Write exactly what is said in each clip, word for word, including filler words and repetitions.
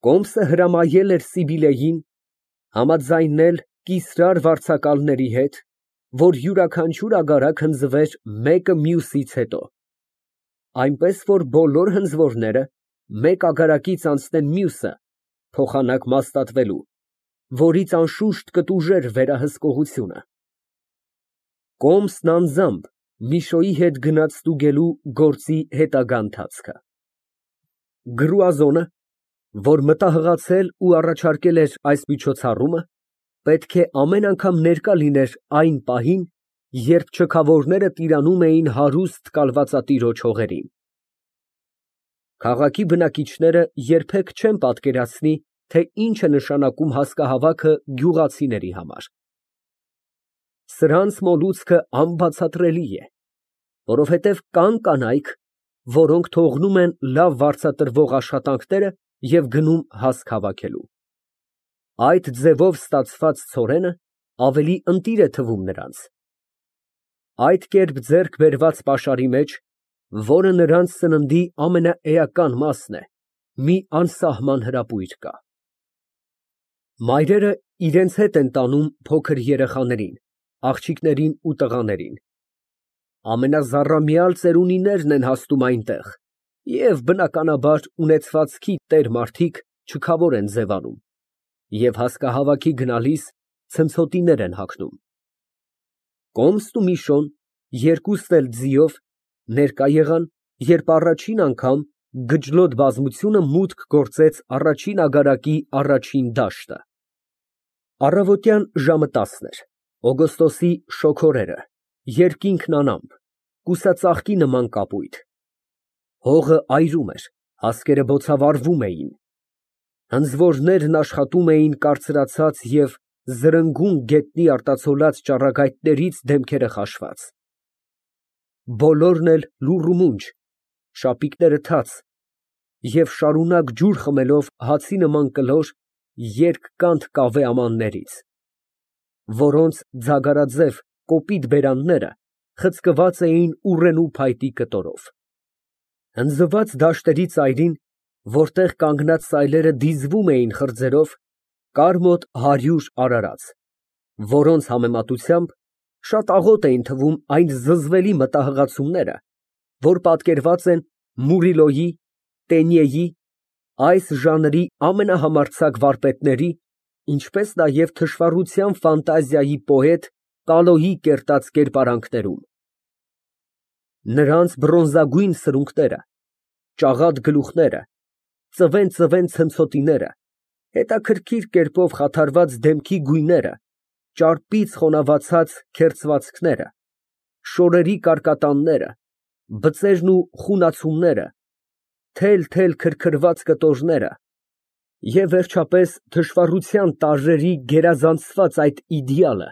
Կոմսը հրամայել էր Սիբիլեին համաձայնել կիսրար վարձակալների հետ, որ յուրաքանչյուր ագարակ հնձվեր մեկը մյուսից հետո, այնպես որ բոլոր հնձվորները մեկ ագարակից անցնեն մյուսը, փոխանակ մաստատվելու, որից անշուշտ կտուժեր վերահսկողությունը։ Կոմսն անձամբ Միշոյի հետ գնաց ստուգելու գործի հետագա ընթացքը։ Գրուազոնը, որ մտահղացել ու առաջարկել էր այս միջոցառումը, պետք է ամեն անգամ ներկա լիներ այն պահին, երբ չքավորները տիրանում էին հարուստ կալվածատիրոջ հողերին։ Քաղաքի բնակիչները երբեք չեն պատկերացնի, թե ինչ է նշանակում հասկահավաքը գյուղացիների համար։ Սրանց մոլուցքը անբացատրելի է, որովհետև կան կանայք, որոնք թողնում են լավ վարձատրվող աշխատանքները և գնում հասկ հավաքելու։ Այդ ձևով ստացված ցորենը ավելի ընտիր է թվում նրանց։ Այդ կերպ ձեռք բերված պաշարի մեջ, որը նրանց սննդի ամենաէական մասն է, մի անսահման հրապույր կա։ Մայրերը իրենց հետ են տանում փոքր երեխաներին, աղջիկներին ու տղաներին։ Ամենազառամյալ ծերունիներն են հասնում այնտեղ, և բնականաբար ունեցվածքի տեր մարդիկ չքավոր են ձևանում, և հասկահավաքի գնալիս ցնցոտիներ են հագնում։ Կոմսն ու Միշոն, երկուսն էլ ձիով, ներկա եղան, երբ առաջին անգամ գջլոտ բազմությունը մուտք գործեց առաջին ագարակի առաջին դաշտը։ Առավոտյան ժամը տասն էր, օգոստոսի շոգ օրերը, երկինքն անամպ, կուսածաղկի նման կապույտ։ Հողը այրում էր, հասկերը բոցավառվում էին։ Հնձվորներն աշխատում էին կարծրացած և զրնգուն գետնի արտացոլած ճառագայթներից դեմքերը խաշված։ Բոլորն էլ լուռ ու մունջ, շապիկները թաց, և շարունակ ջուր խմելով հացի նման կլոր, երկկանտ կավե ամաններից, որոնց ձագարաձև կոպիտ բերանները խցկված էին ուռենու փայտի կտորով։ Հնձված դաշտերի ծայրին, որտեղ կանգնած սայլերը դիզվում էին խրձերով, կար մոտ հարյուր արարած, որոնց համեմատությամբ շատ աղոտ էին թվում այն զզվելի մտահղացումները, որ պատկերված են Մուրիլոյի, Տենիեի, այս ժանրի ամենահամարձակ վարպետների, ինչպես նաև թշվառության ֆանտազիայի պոետ Կալոյի կերտած կերպարանքներում։ Նրանց բրոնզագույն սրունքները, ճաղատ գլուխները, ծվեն֊ծվեն ցնցոտիները, հետաքրքիր կերպով խաթարված դեմքի գույները, ճարպից խոնավացած քերծվածքները, շորերի կարկատանները, բծերն ու խունացումները, թել֊թել քրքրված կտորները և, վերջապես, թշվառության տարրերի գերազանցված այդ իդեալը,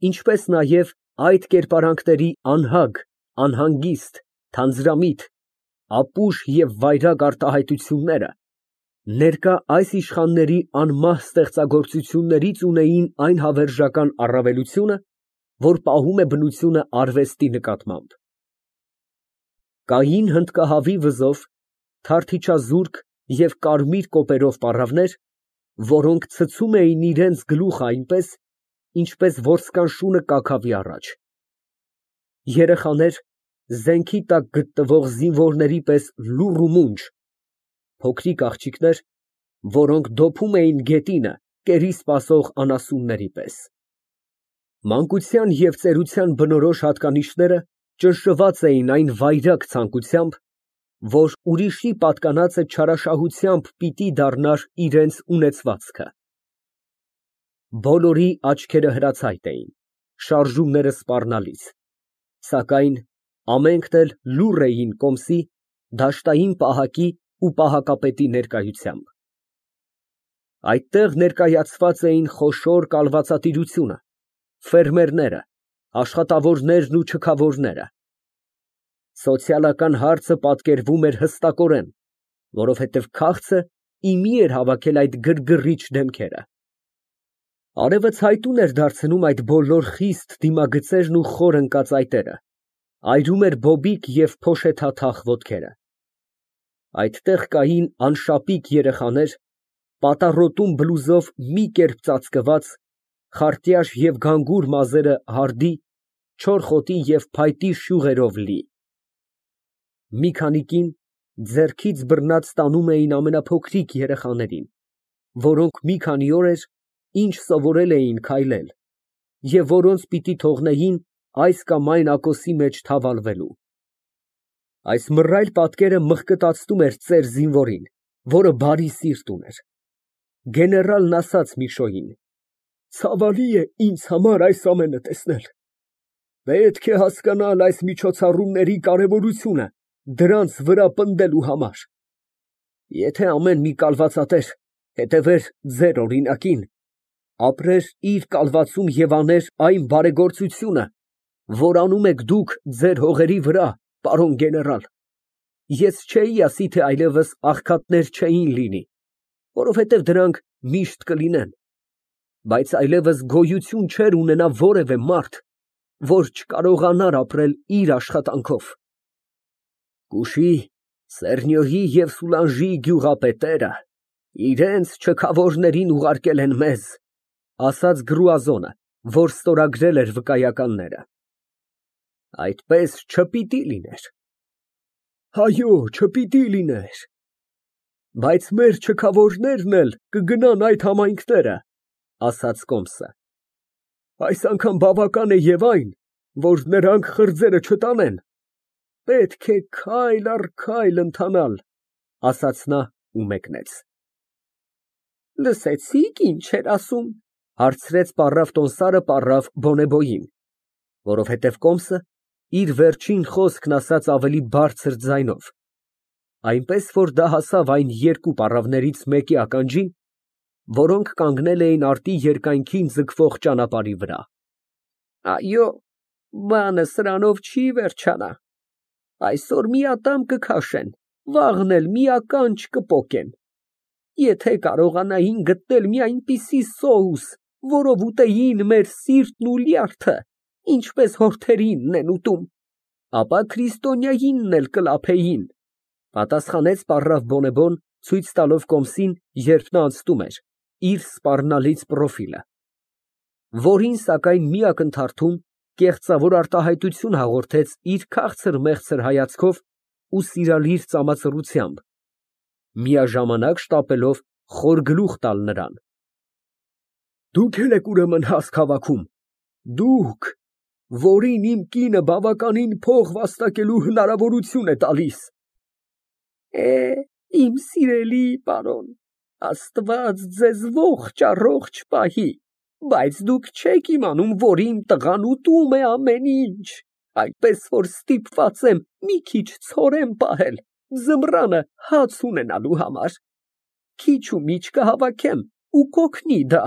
ինչպես նաև այդ կերպարանքների անհագ, անհանգիստ, թանձրամիտ, ապուշ և վայրագ արտահայտությունները, ներկա այս իշխանների անմահ ստեղծագործություններից ունեին այն հավերժական առավելությունը, որ պահում է բնությունը արվեստի նկատմամբ։ Կային հնդկահավի վզով, թարթիչազուրկ և կարմիր կոպերով պառավներ, որոնք ցցում էին իրենց գլուխը այնպես, ինչպես որսկան շունը կաքավի առաջ։ Երեխաներ, զենքի տակ գտնվող զինվորների պես լուռ ու մունջ, փոքրիկ աղջիկներ, որոնք դոփում էին գետինը կերի սպասող անասունների պես։ Մանկության և ծերության բնորոշ հատկանիշները ճնշված էին այն վայրագ ցանկությամբ, որ ուրիշի պատկանածը չարաշահությամբ պիտի դառնար իրենց ունեցվածքը։ Բոլորի աչքերը հրացայտ էին, շարժումները սպառնալից, սակայն ամենքն էլ լուռ էին Կոմսի, դաշտային պահակի ու պահակապետի ներկայությամբ։ Այդտեղ ներկայացված էին խոշոր կալվածատիրությունը, ֆերմերները, աշխատավորներն ու չքավորները։ Սոցիալական հարցը պատկերվում էր հստակորեն, որովհետև քաղցը ի մի էր հավաքել այդ գրգռիչ դեմքերը։ Արևը ցայտուն էր դարձնում այդ բոլոր խիստ դիմագծերն ու խոր ընկած այտերը, այրում էր բոբիկ և փոշեթաթախ ոտքերը։ Այդտեղ կային անշապիկ երեխաներ, պատառոտուն բլուզով մի կերպ ծածկված, խարտյաշ և գանգուր մազերը հարդի, չոր խոտի և փայտի շյուղերով լի։ Մի քանի կին ձեռքից բռնած տանում էին ամենափոքրիկ երեխաներին, որոնք մի քանի օր էր, ինչ սովորել էին քայլել, և որոնց պիտի թողնեին այս կամ այն ակոսի մեջ թավալվելու։ Այս մռայլ պատկերը մղկտացնում էր ծեր զինվորին, որը բարի սիրտ ուներ։ Գեներալն ասաց Միշոյին. «Ցավալի է ինձ համար այս ամենը տեսնել։ Պետք է հասկանալ այս միջոցառումների կարևորությունը դրանց վրա պնդելու համար։ Եթե ամեն մի կալվածատեր հետևեր ձեր օրինակին, ապրեր իր կալվածում և աներ այն բարեգործությունը, որ անում եք դուք ձեր հողերի վրա, պարոն գեներալ, ես չէի ասի, թե այլևս աղքատներ չէին լինի, որովհետև դրանք միշտ կլինեն, բայց այլևս գոյություն չէր ունենա որևէ մարդ, որ չկարողանար ապրել իր աշխատանքով։ Կուշի, Սեռնյոյի և Սուլանժիի գյուղապետերը իրենց չքավորներին ուղարկել են մեզ, ասաց Գրուազոնը, որ ստորագրել էր վկայականները։ Այդպես չպիտի լիներ։ Հայո, չպիտի լիներ։ Բայց մեր չքավորներն էլ կգնան այդ համայնքները, ասաց Կոմսը։ Այս անգամ բավական է և այն, որ նրանք խրձերը չտանեն։ Պետք է քայլ առ քայլ ընթանալ, ասաց նա ու մեկնեց։ Լսեցի՞ք ինչ էր ասում, հարցրեց պառավ տոմսարը պառավ Բոնեբոյին, որովհետև Կոմսը իր վերջին խոսքն ասաց ավելի բարձր ձայնով, այնպես որ դա հասավ այն երկու պառավներից մեկի ականջին, որոնք կանգնել էին արտի երկայնքին ձգվող ճանապարհի վրա։ Այո, բանը սրանով չի վերջանա։ Այսօր մի ատամ կքաշեն, վաղն էլ մի ականջ կպոկեն։ Եթե կարողանային գտնել մի այնպիսի սոուս, որով ուտեին մեր սիրտն ու լյարդը, ինչպես հորթերինն են ուտում, ապա քրիստոնյայինն էլ կլափեին, պատասխանեց պառավ Բոնեբոն, ցույց տալով Կոմսին, երբ նա անցնում էր, իր սպառնալից պրոֆիլը, որին, սակայն, մի ակնթարթում կեղծավոր արտահայտություն հաղորդեց իր քաղցր֊մեղցր հայացքով ու սիրալիր ծամածռությամբ, միաժամանակ շտապելով խոր գլուխ տալ նրան։ Դուք էլ եք ուրեմն հասկ հավաքում, դուք, որին իմ կինը բավականին փող վաստակելու հնարավորություն է տալիս։ Է, իմ սիրելի պարոն, Աստված ձեզ ողջ առողջ պահի, բայց դուք չեք իմանում, որ իմ տղան ուտում է ամեն ինչ, այնպես որ ստիպված եմ մի քիչ ցորեն պահել ձմռանը հաց ունենալու համար։ Քիչ ու միչ կհավաքեմ ու կօգնի դա։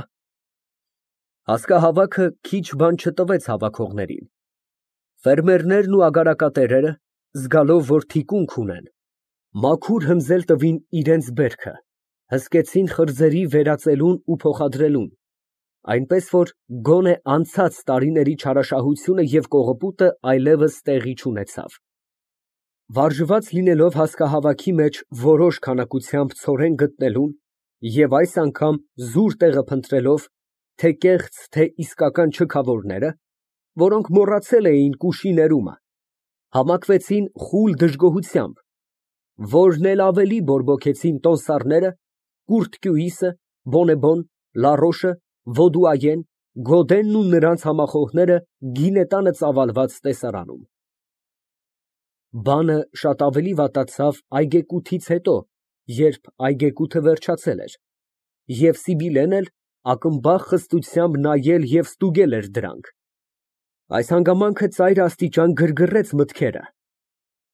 Հասկահավաքը քիչ բան չտվեց հավաքողներին։ Ֆերմերներն ու ագարակատերերը, զգալով, որ թիկունք ունեն, մաքուր հնձել տվին իրենց բերքը, հսկեցին խրձերի վերածելուն ու փոխադրելուն, այնպես որ գոնե անցած տարիների չարաշահությունը և կողոպուտը այլևս տեղի չունեցավ։ Վարժված լինելով հասկահավաքի մեջ որոշ քանակությամբ ցորեն գտնելուն և այս անգամ զուր տեղը փնտրելով, թե կեղծ, թե իսկական չքավորները, որոնք մոռացել էին կուշի ներումը, համակվեցին խուլ դժգոհությամբ, որն էլ ավելի բորբոքեցին տոմսարները, Կուրթկյուիսը, Բոնեբոն, Լարոշը, Վոդուայեն, Գոդենն ու նրանց համախոհները գինետանը ծավալված տեսարանում։ Բանը շատ ավելի վատացավ այգեկութից հետո, երբ այգեկութը վերջացել էր, և Սիբիլեն էլ ակմբախ խստությամբ նայել և ստուգել էր դրանք։ Այս հանգամանքը ծայր աստիճան գրգռեց մտքերը։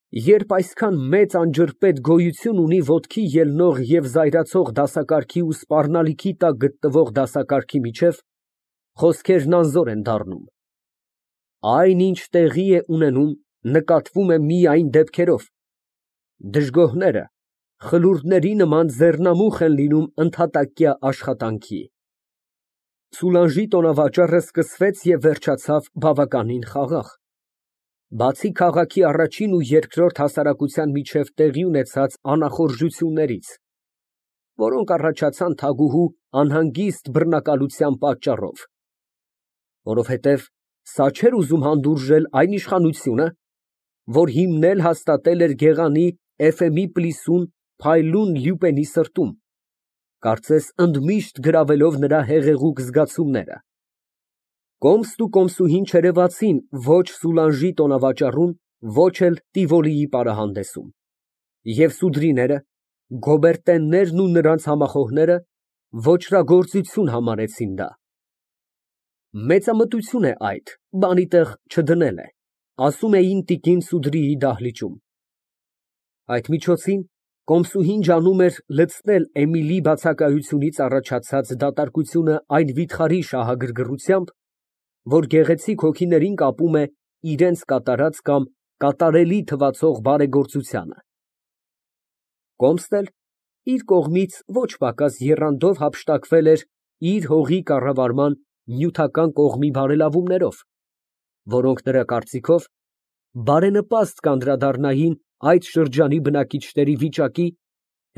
Երբ այսքան մեծ անջրպետ գոյություն ունի ոտքի ելնող և զայրացող դասակարգի ու սպառնալիքի տակ գտնվող դասակարգի միջև, խոսքերն անզոր են դառնում։ Այն, ինչ տեղի է ունենում, նկատվում է միայն դեպքերով։ Դժգոհները խլուրդների նման ձեռնամուխ են լինում ընդհատակյա աշխատանքի։ Սուլանժի տոնավաճառը սկսվեց և վերջացավ բավականին խաղաղ։ Բացի քաղաքի առաջին ու երկրորդ հասարակության միջև տեղի ունեցած անախորժություններից, որոնք առաջացան թագուհու անհանգիստ բռնակալության պատճառով, որովհետև սա չէր ուզում հանդուրժել այն իշխանությունը, որ հիմնել հաստատել էր գեղանի Էֆեմի պլիսուն փայլուն Լյուպենի սրտում, կարծես ընդմիշտ գրավելով նրա հեղեղուկ զգացումները։ Կոմստ ու կոմսուհին չերևացին ոչ Սուլանժի տոնավաճառում, ոչ էլ Տիվոլիի պարահանդեսում, և սուդրիները, գոբերտեններն ու նրանց համախոհները ոճրագործություն համարեցին դա։ Մեծամտություն է այդ, բանի տեղ չդնել է, ասում էին տիկին Սուդրիի դահլիճում։ Այդ միջոցին կոմսուհին ջանում էր լցնել Էմիլի բացակայությունից առաջացած դատարկությունը այն վիթխարի շահագրգռությամբ, որ գեղեցիկ հոգիներին կապում է իրենց կատարած կամ կատարելի թվացող բարեգործությանը։ Կոմստ էլ իր կողմից ոչ պակաս եռանդով հափշտակվել էր իր հողի կառավարման նյութական կողմի բարելավումներով, որոնք նրա կարծիքով բարենպաստ կանդրադառնային այդ շրջանի բնակիչների վիճակի,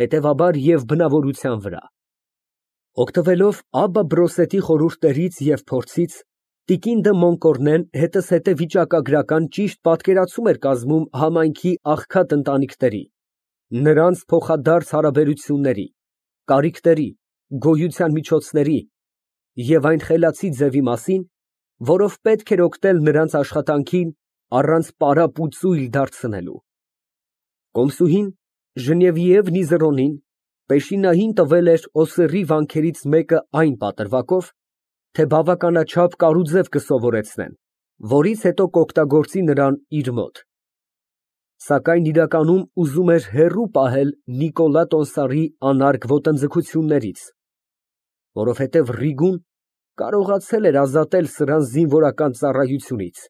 հետևաբար և բնավորության վրա։ Օգտվելով Աբբա Բրոսետի խորհուրդներից և փորձից, տիկին դը Մոնկորնեն հետզհետե վիճակագրական ճիշտ պատկերացում էր կազմում համայնքի աղքատ ընտանիքների, նրանց փոխադարձ հարաբերությունների, կարիքների, գոյության միջոցների և այն խելացի ձևի մասին, որով պետք էր օգնել նրանց աշխատանքին առանց պարապ ու ծույլ դարձնելու։ Կոմսուհին Ժնևիև Նիզերոնին պեշինային տվել էր Օսերի վանքերից մեկը այն պատրվակով, թե բավականաչափ կարուձև կսովորեցնեն, որից հետո կօգտագործի նրան իր մոտ, սակայն իրականում ուզում էր հեռու պահել Նիկոլա Տոնսարի անարգ ոտնձգություններից, որովհետև Ռիգուն կարողացել էր ազատել սրան զինվորական ծառայությունից։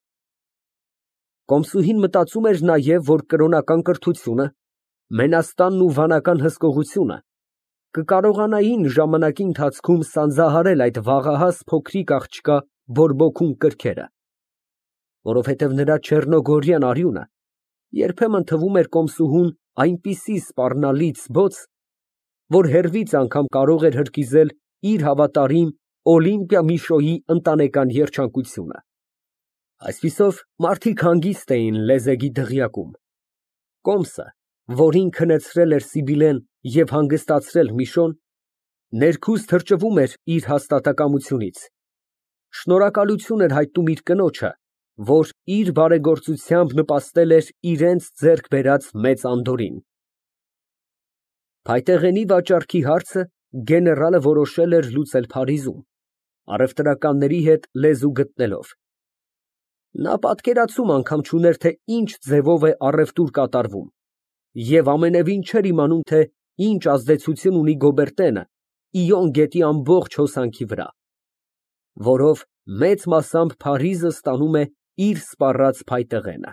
Կոմսուհին մտածում էր նաև, որ կրոնական կրթությունը, մենաստանն ու վանական հսկողությունը կկարողանային ժամանակի ընթացքում սանձահարել այդ վաղահաս փոքրիկ աղջկա բորբոքուն կրքերը, որովհետև նրա չեռնոգորյան արյունը երբեմն թվում էր կոմսուհուն այնպիսի սպառնալից բոց, որ հեռվից անգամ կարող էր հրկիզել իր հավատարիմ Օլիմպիա Միշոյի ընտանեկան երջանկությունը։ Այսպիսով, մարդիկ հանգիստ էին լեզեգի դղյակում։ Կոմսը, որին քնեցրել էր Սիբիլեն և հանգստացրել Միշոն, ներքուստ թրջվում էր իր հաստատակամությունից, շնորհակալություն էր հայտնում իր կնոջը, որ իր բարեգործությամբ նպաստել էր իրենց ձեռք բերած մեծ անդորրին։ Փայտեղենի վաճառքի հարցը գեներալը որոշել էր լուծել Փարիզում, առևտրականների հետ լեզու գտնելով։ Նա պատկերացում անգամ չուներ, թե ինչ ձևով է առևտուր կատարվում, և ամենևին չէր իմանում, թե ինչ ազդեցություն ունի Գոբերտենը Իոն գետի ամբողջ հոսանքի վրա, որով մեծ մասամբ Փարիզը ստանում է իր սպառած փայտեղենը։